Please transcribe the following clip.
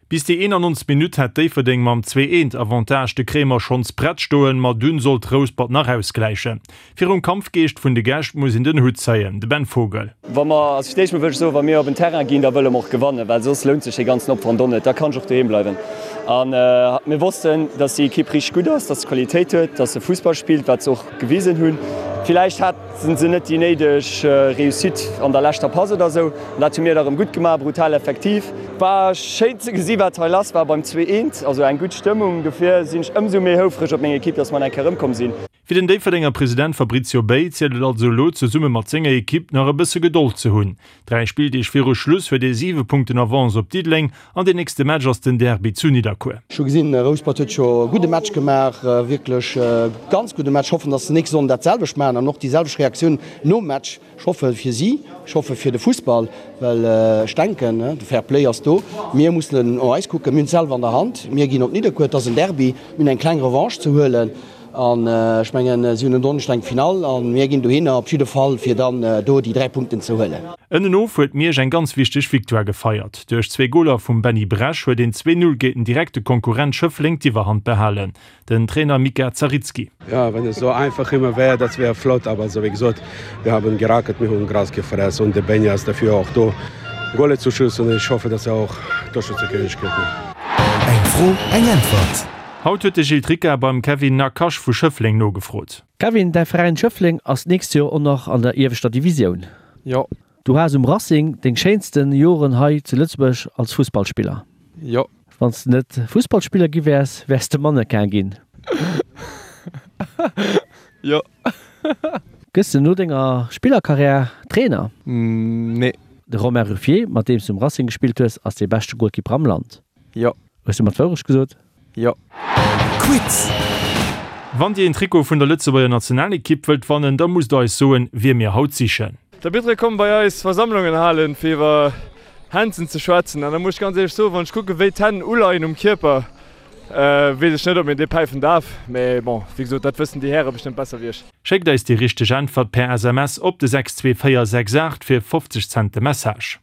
Bis déi 91. Minutt hat Déifferdeng mam 2, Eent Avantage de Kremer schonns prett stoen, ma dunn sollt Rouspert nach ausgläichen. Virum Kampfgeescht vun de Gäscht muss een den Hutt zéien, de Ben Vogel. Wa mer, also fir d'éischt mol wëll ech soen, wa mir op en Terrain ginn, da wëlle mer och gewannen, well soss lount sech dee ganzen Opwand och net, da kann ech och doheem bleiwen. A mir wossten, dass déi Ekipp richteg gutt ass, dass se Qualitéit huet, dass se Fussball spillt, wat se och gewisen hunn. Villäicht haten se net déi néideg Réussite an der leschter Pass oder esou, an dat hu mir da rëm gutt gemaach, brutal effektiv. War schéin ze gesi wat hei lass war beim 2, eent, also eng gutt Stëmmung. Dofir sinn ech ëmsou méi houfreg op meng Ekipp, dass mer nach eng Kéier erëmkomm sinn. Fir den Déifferdenger President Fabrizio Bay zielt et also elo, zesumme mat senger Ekipp nach e bësse Gedold ze hunn. 3 Spilldeeg viru Schluss huet ee 7 Punkten Avance op Diddeleng an deen nächste Match ass den Derby zu Nidderkuer. Ech hu gesinn, Rouspert huet scho e gudde Match gemaach, wierklech e ganz gudde Match. Hoffen, datt se nächste Sonnden dat selwecht maachen an och déi selwecht Reaktioun nom Match. Ech hoffe fir si, ech hoffe fir de Fussball, well ech denken, de Fair Play ass do. Mir mussen no eis kucken, mir hunn et selwer an der Hand. Mir ginn op Nidderkuer, et ass en Derby, mir hunn eng kleng Revanche ze huelen. An ech mengen, si hunn en Donneschden eng Finall a mir ginn dohinner op jidde Fall, fir dann do déi 3 Punkten ze huelen. Ënnenof huet Miersch eng ganz wichteg Victoire gefeiert. Duerch zwee Goler vum Benny Bresch huet een 2, 0 géint den direkte Konkurrent Schëffleng d'Iwwerhand behalen. Den Trainer Mika Zaritski. Ja, wenn es so einfach immer wär, das wär flott, aber so wie gesot, wir haben gerackert, wir hun Gras gefressen und de Benja ass dafür auch do, Goale zu schiessen. Ich hoffe, dass er auch Torschützekönig gëtt. Eng Fro, eng Äntwert. Haut huet de Gilles Tricca beim Kevin Nakache vu Schëffleng nogefrot. Kevin, däi Veräin Schëffleng ass d'nächst Joer och nach an der ieweschter Divisioun. Jo. Du has um Racing deng schéinsten Joren hei zu Lëtzebuerg als Fussballspiller. Jo. Wann s de net Fussballspiller gi wäers, wäers de Mannequin ginn. Jo. Gëss de no denger Spillerkarriär Trainer? Nee. De Romain Ruffier, mat deem s du um Racing gespillt hues, ass dee beschte Golkipper am Land. Jo. Hues du mer d'Wourecht gesot? Jo. Quiz! Wann Dir een Trikot vun der Lëtzebuerger Nationalekipp wëllt wannen, da musst der eis soen, wie mir haut sichen. D'Arbitere kommen bei eis Versammlungen halen, fir iwwer Hänzen ze schwätzen. An da muss ech ganz éierlech soen, wann ech kucken, wéi d'Hänn uleien um Kierper, weess ech net, ob een dee päifen darf. Mee bon, wéi gesot, dat wëssen déi Häre bestëmmt besser wéi ech. Schéckt eis déi richteg Äntwert per SMS op de 62468 fir 50 Cent de Message.